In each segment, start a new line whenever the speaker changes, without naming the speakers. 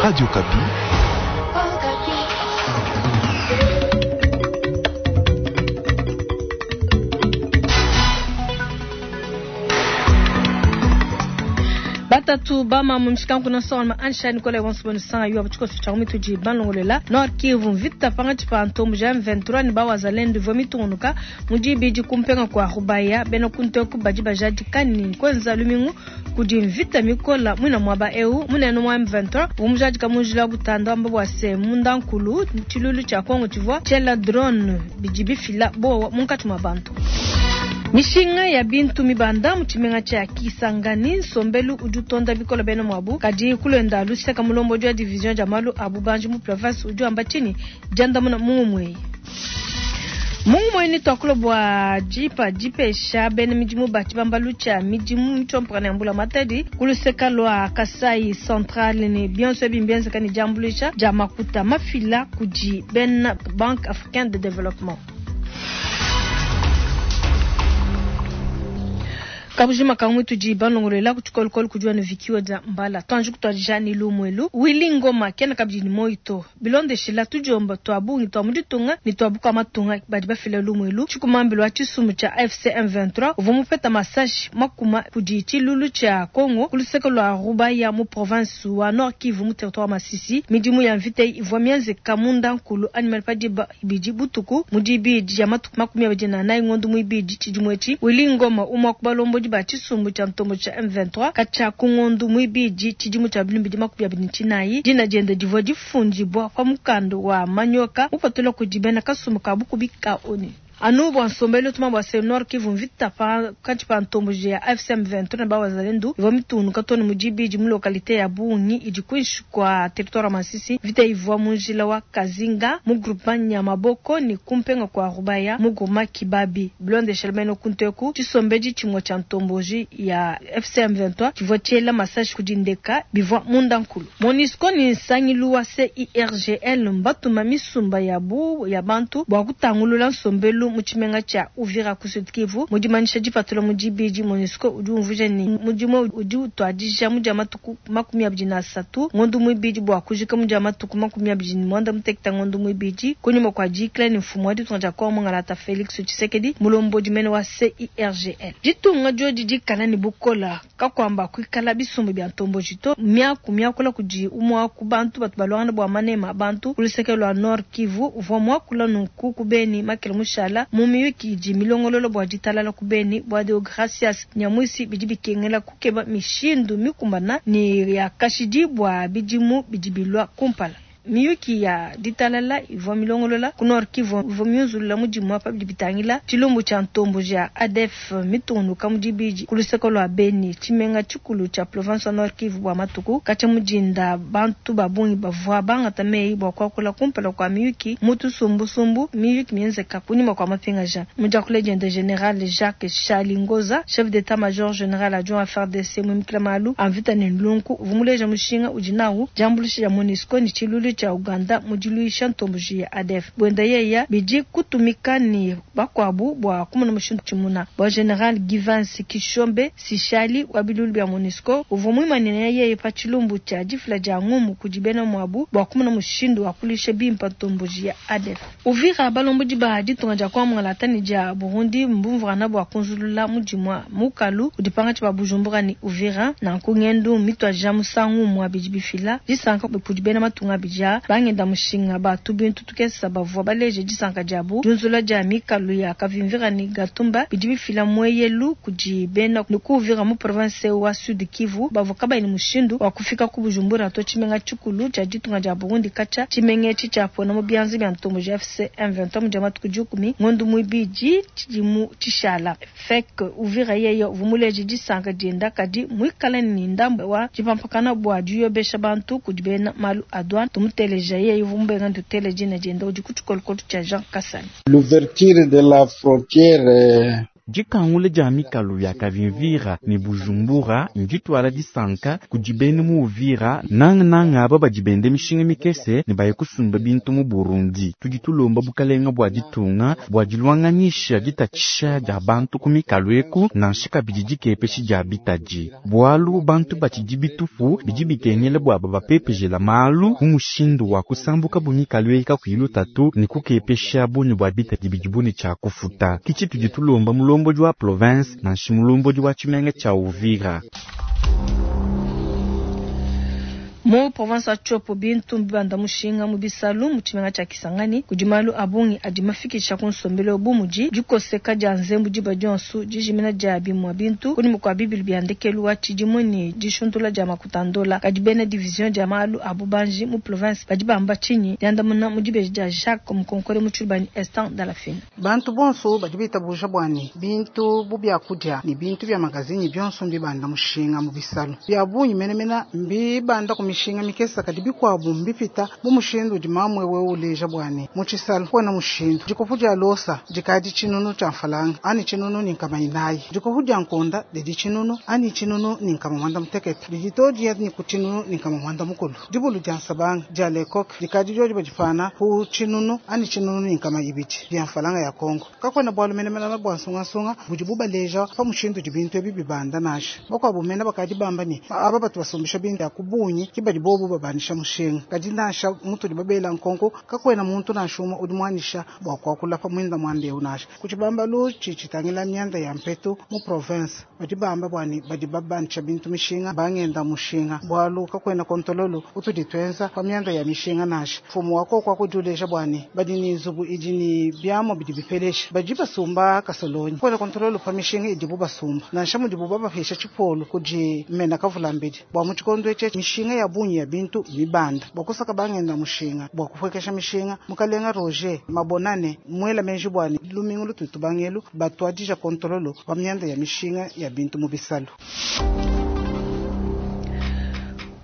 Radio Okapi.
Batatu bama mu mishikanku na nsonga ansha Nicolas wonso bonu sanga yuwa tshikoso tsha mitudi banlongolela Nord Kivu mvita pangatshi pa ntombo ja M23 ne bawazalendu ivua mitungunuka mu dibidi kumpenga kwa Rubaya bena kunteku badi bajadika ni kwenza lumingu kudi mvita mikola mwina mwaba eu munene mwa M23 umujadika munjila butanda wamba bwa se munda nkulu tshilulu tsha Kongo tshivua tshela drone bidi bifila bowa munkatshi mwa bantu. Mishinga ya bintu mibanda mu tshimenga tshia Kisangani nsombelu udi utonda bikola bena mwabu kadi kulenda luseka mulombo wa division ja malu abu banji mu province udi wamba tshini diandamuna mungumweyi. Mungumweyi ni twakula bua jipa jipesha bena midimu ba tshibambalu tshia midimu mitshompakana ya mbula matadi kuluseka lwa Kasai Central ni bionso ebi mbienzeka ni diambuluisha dia makuta mafila kudi bena Banque Africaine de Développement. Kabujima kamwe tudi banongolela kutshikolokolo kudiwa ne vikiwa dia mbala twanji kutwadija ni lumwelu Willy Ngoma kena kabidi ni moito bilondeshela tudiomba twa bungi twa muditunga ni twa buka matunga badi bafila lumwelu tshikumambilo wa tshisumu tsha AFC M23 uvua mupeta masashi makuma kudi tshilulu tshia Congo kuluseke lwa Rubaya mu province wa Nord Kivu mu territoire Masisi. Midimu ya mvita ivua mienzeka munda nkulu animal padiba ibidi butuku mudibidi ya matuku 24 ngondo muibidi tshidimu etshi. Willy Ngoma umwa kubalombo ba tshisumbu tsha ntombo tsha M23 katshia ku ngondu muibidi tshidimu tsha bilumbidi 29 dina diende divua difundibua pa mukanda wa manyoka mupatula kudi bena kasumbu ka bukubi ka ONU. Anu bua nsombelu tuma bua se Nord Kivu mvita pa katshi pa ntombo ya AFC M23 na bawazalendu ivua mitundu too ne mu dibidi mu localité ya Bungi idi kuinshi kua territoire ya Masisi. Mvita ivua mu njila wa Kazinga mu groupement Nyamaboko ni kumpenga kwa Rubaya mu groupement Kibabi bilondeshela bena kunteku tshisombedi tshimue tsha ntomboji ya AFC M23 tshivua tshiela masashi kudi ndeka bivua munda nkulu. MONUSCO ni nsangilu wa CIRGL mbatuma misumba yabu ya bantu bua kutangulula nsombelu mu tshimenga tsha Uvira ku Sud Kivu. Mudimanisha dipatula mu dibidi MONUSCO udi umvuija ni mudimu udi utuadija mu dia matuku 23 ngondo muibidi bua kujika mu dia matuku 29 ngondo muibidi kunyuma kwa dikla ni mfumu wa ditunga dia Kongo Ngalata Felix Tshisekedi mulombodi mene wa CIRGL. Ditunga diodi dikala ni bukola kakwamba kuikala bisumbu bia ntombo jito miaku miakula kudi umwa ku bantu batu balwangana bua manema bantu kuluseke lwa Nord Kivu uvua mwakula nunku kubeni makele mushala mu miyuki idi milongololo bua ditalala kubeni bua Deogracias Nyamwisi bidi bikengela kukeba mishindu mikumbana ni ya kashidi bua bidimu bidi bilua kumpala. Miyuki ya ditalala ivua milongolola ku Nord Kivu ivua miunzulula mudimu apa bidi bitangila tshilumbu tshia ntombo ja ADF mitunduka mu dibidi ku luseke lua Beni tshimenga tshikulu tshia province wa Nord Kivu bua matuku katshia mudinda bantu ba bungi bavua bangata meyi bua kuakula kumpala kua miyuki mu tusumbusumbu miyuki mienzeka kunyima kua mapingaja. Mu diakula diende General Jacques Chalingoza chef d'état-major général adjoint FARDC muimikila malu a mvita ne nlunku uvua muleja mushinga udi nawu diambuluisha dia MONUSCO ni tshilulu tshia Uganda mudiluisha ntomboji ya ADF. Bwenda yeya bidi kutumika ni bakwabu bua kumona mushindu tshimuna. Bua General Givens Kishombe Sishali wa bilulu bia MONUSCO uvua muimanine yeye pa tshilumbu tshia difila dia ngumu kudi bena mwabu bua kumona mushindu wa kulisha bimpa ntomboji ya ADF. Uvira balombodi ba ditunga dia Kongo Ngalata ni dia Burundi mbumvurana bua kunzulula mudimwa mukalu udi pangatshi ba Bujumbura ni Uvira na nkungendu mitwaja musangu mwa bidi bifila disanka kudi bena matunga bija bangenda mushinga batu bintu tukesa bavua baleje disanka diabu diunzula dia mikalu ya Kavimvira ni Gatumba bidi bifila mweyelu kudi bena ni ku Uvira mu province wa Sud Kivu bavua kabayi mushindu wa kufika ku Bujumbura to tshimenga tshikulu tshia ditunga dia Burundi katshia tshimenga etshi tshiapona mu bianza bia ntombo ja AFC M23 mu dia matuku 10 ngondo muibidi tshidimu tshishala. FEC Uvira yeye uvua muleje disanka dienda kadi muikale ni ndambo wa dipampakana bua diyobesha bantu kudi bena malu a douane tumuteleja yeye uvua mubenga ntutele dina dienda udi ku tshikolokolo tshia Jean Kasami.
L'ouverture de la frontière
Dikangula dia mikalu ya Kavimvira ne Bujumbura ndituala disanka kudi bena mu Uvira, nangananga aba badi benda mishinga mikese ne baye kusumba bintu mu Burundi. Tudi tulomba bukalenga bua ditunga bua diluanganyisha ditatshisha dia bantu ku mikalu eku, nansha kabidi dikepeshi dia bitadi, bualu bantu batshidi bitupu bidi bikengela bua babapepejela malu mu mushindu wa kusambuka bu mikalu eyi kakuyi lutatu ne kukepesha bungi bua bitadi bidibu ne tshia kufuta. Ke tshitudi tulomba mulombodi wa province nansha mulombodi wa tshimenga tshia Uvira.
Mu province wa Tshopo, bintu mbibanda mushinga mu bisalu mu tshimenga tshia Kisangani. Kudi malu a bungi adi mafikisha ku nsombelu bu mudi dikoseka dia nzembu diba dionso, dijimina dia bimue bintu kunyima kua bibilu bia ndekelu wa tshidimu ne dishuntula dia makuta a ndola. Kadi bena division dia malu a bubanji mu province badi bamba tshinyi? Diandamuna mu dibeji dia Jacques Mukonkole mu Tshiluba ne Estan Dalafina.
Bantu bonso badi bitabuja bua ne, bintu bu biakudia ne bintu bia magazinyi bionso mbibanda mushinga mu bisalu. Bia bungi menemene mbibanda ku mishinga mikese, kadi bikuabu mbipita bu mushindu udi mamu eu uleja bua ne, mu tshisalu kuena mushindu. Dikopo dia losa dikadi tshinunu tshia mfalanga anyi 1400. Dikopo dia nkonda didi 1000 anyi 1160. Didi todiya ni ku 1160. Dibulu dia nsabanga dia lekok dikadi diodi badipana ku 1000 anyi 1200 bia mfalanga ya Kongo. Kakuena bualu menemene bua nsungasunga budi bubaleja pa mushindu udi bintu ebi bibanda nansha. Bakuabu mene bakadi bamba ne, aba batu basumbisha bintu ya ku bungi ke badi bobu babandisha mushinga. Kadi nansha mutudi babela nkonko, kakuena muntu nansha umue udi muanyisha bua kuakula pa muinda muanda eu nansha. Ku tshibambalu tshidi tshitangila mianda ya mpetu mu province, badi bamba bua ne badi babandisha bintu mishinga bangenda mushinga, bualu kakuena kontololo utudi tuenza pa mianda ya mishinga nansha. Mfumu wa koko akudiuleja bua ne badi ne nzubu idi ne biamua bidi bipelesha, badi basumba kasolonyi. Kakuena kontololo pa mishinga idibu basumba, nansha mudibu babapesha tshipolo kudi mena kavulambedi. Bua mu tshikondo etshi mishinga ya bungi ya bintu mibanda bua kusaka bangenda mushinga bua kupuekesha mishinga. Mukalenga Roger Mabonane muela meji bua ne lumingu lututu bangelu batuadija kontololo pa mianda ya mishinga ya bintu mu bisalu.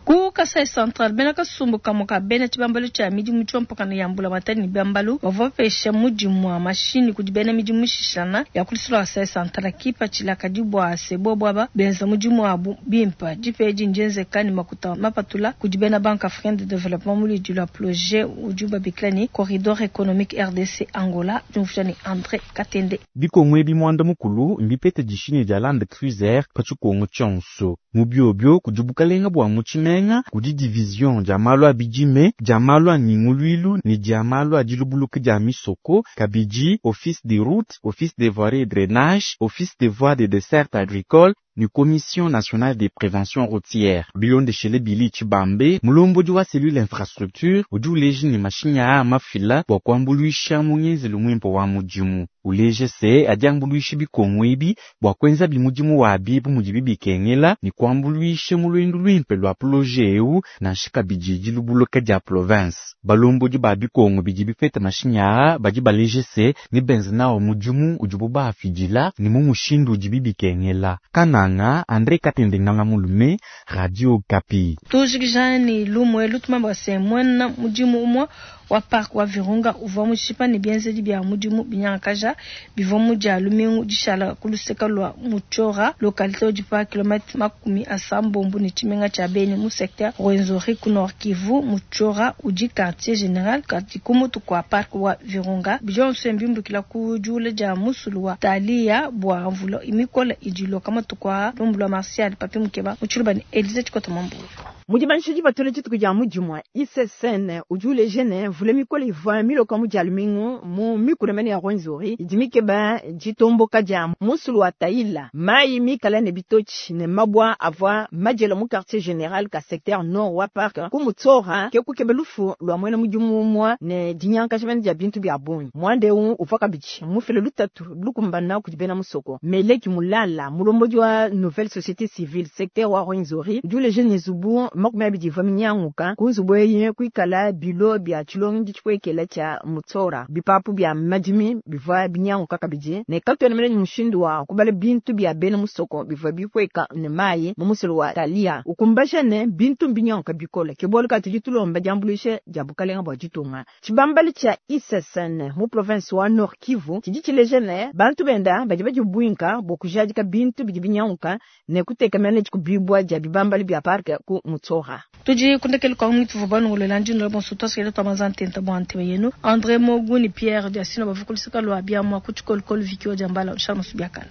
Ku Kasai Central, bena kasumbu kamue ka bena tshibambalu tshia midimu tshiompakana ya mbulamatadi ne biambalu bavua bapesha mudimu wa mashinyi kudi bena midimu mishishilangana ya ku luseke lua Kasai Central. Kipatshila kadi bua se bobu aba benza mudimu wabu bimpe. Dipa edi ndienzeka ne makuta mapatula kudi bena Banque Africaine de Developpement mu luidi lua projet udibu babikila ne Corridor Economique RDC Angola, diumvuija ne Andre Katende.
Bikongo ebi muanda mukulu mbipete dishini dia Land Cruiser pa tshikongo tshionso. Mu biobio kudi bukalenga bua mu tshimenga, kudi division dia malu a bidime, dia malu a nyinguluilu ne dia malu a dilubuluka dia misoko, kabidi office des routes, office des voiries et drainage, office des voies de desserte agricole ne commission nationale de prévention routière. Bilondeshele Billy Tshibambe, mulombodi wa cellule infrastructure udi uleja ne mashinyi aa mafila bua kuambuluisha mu ngenzelu muimpe wa mudimu. Uleje se adi ambuluisha bikongo ebi bua kuenza bimudimu wabi bu mudibi bikengela ne kuambuluisha mu luendu luimpe lua projet eu nansha kabidi dilubuluka dia province. Balombodi ba bikongo bidi bipeta mashinyi aa badi baleje se ne benza nawo mudimu udibu baafidila ne mu mushindu udibi bikengela. Kananga, Andre Katende Nganga Mulume, Radio Okapi.
Tujikija ne lumu elu tumamba se muena mudimu umue wa parc wa Virunga uvua mushipa ne bienzedi bia mudimu binyangakaja bivua mu dia lumingu dishala ku luseke lua Mutshiora, localité udi pa kilomètre 80 ne tshimenga tshia Beni mu secteur Rwenzori ku Nord Kivu. Mutshiora udi quartier général kadi ku mutu kua parc wa Virunga. Bionso mbimbukila ku diula dia musulu wa Talia bua mvula mikola idi iloka matuku aa. Lumbu lua Martial Papi Mukeba mu Tshiluba ne Elise Tshikota Mwambulu.
Mu dibanisha dipatula dituku dia mudimu wa ICCN udi uleja ne mvula mikole ivua miloka mu dia lumingu mu mikuna mene ya Rwenzori idi mikeba ditomboka dia musulu wa Taila, mayi mikala ne bitotshi ne mabua avua madiela mu quartier general ka secteur nord wa parc ku Mutsora ke kukeba lufu lua muena mudimu umue ne dinyankaja mene dia bintu bia bungi. Muanda eu uvua kabidi mufile lutatu lukumbana kudi bena musoko. Meleki Mulala, mulombodi wa Nouvelle Société Civile secteur wa Rwenzori, udi uleja ne nzubu 20 ivua minyanguka. Ku nzubu eyi kuikala bilo bia tshilongedi tshipuekela tshia Mutsora. Bipapu bia madimi bivua binyanguka kabidi ne katuena mene ne mushindu wa kubala bintu bia bena musoko bivua bipueka ne mayi mu musulu wa Talia. Ukumbaja ne, bintu mbinyanguka bikole, ke bualu kayi tudi tulomba diambuluisha dia bukalenga bua ditunga. Tshibambalu tshia ISSN mu province wa Nord Kivu tshidi tshileja ne, bantu benda badi badibuinka bua kujadika bintu bidi binyanguka ne kuteka mene dikubibua dia bibambalu bia parke ku Mutsora.
Tudi ku ndekelu kua muitu vua banongolola ndi ndola bonso tuasikela tua manza ntenta bua ntema yenu Andre Mogu ni Pierre Diasino bavua ku luseka lua biamua ku tshikolokolo Vicky wa Diambala Charles Masubiakana.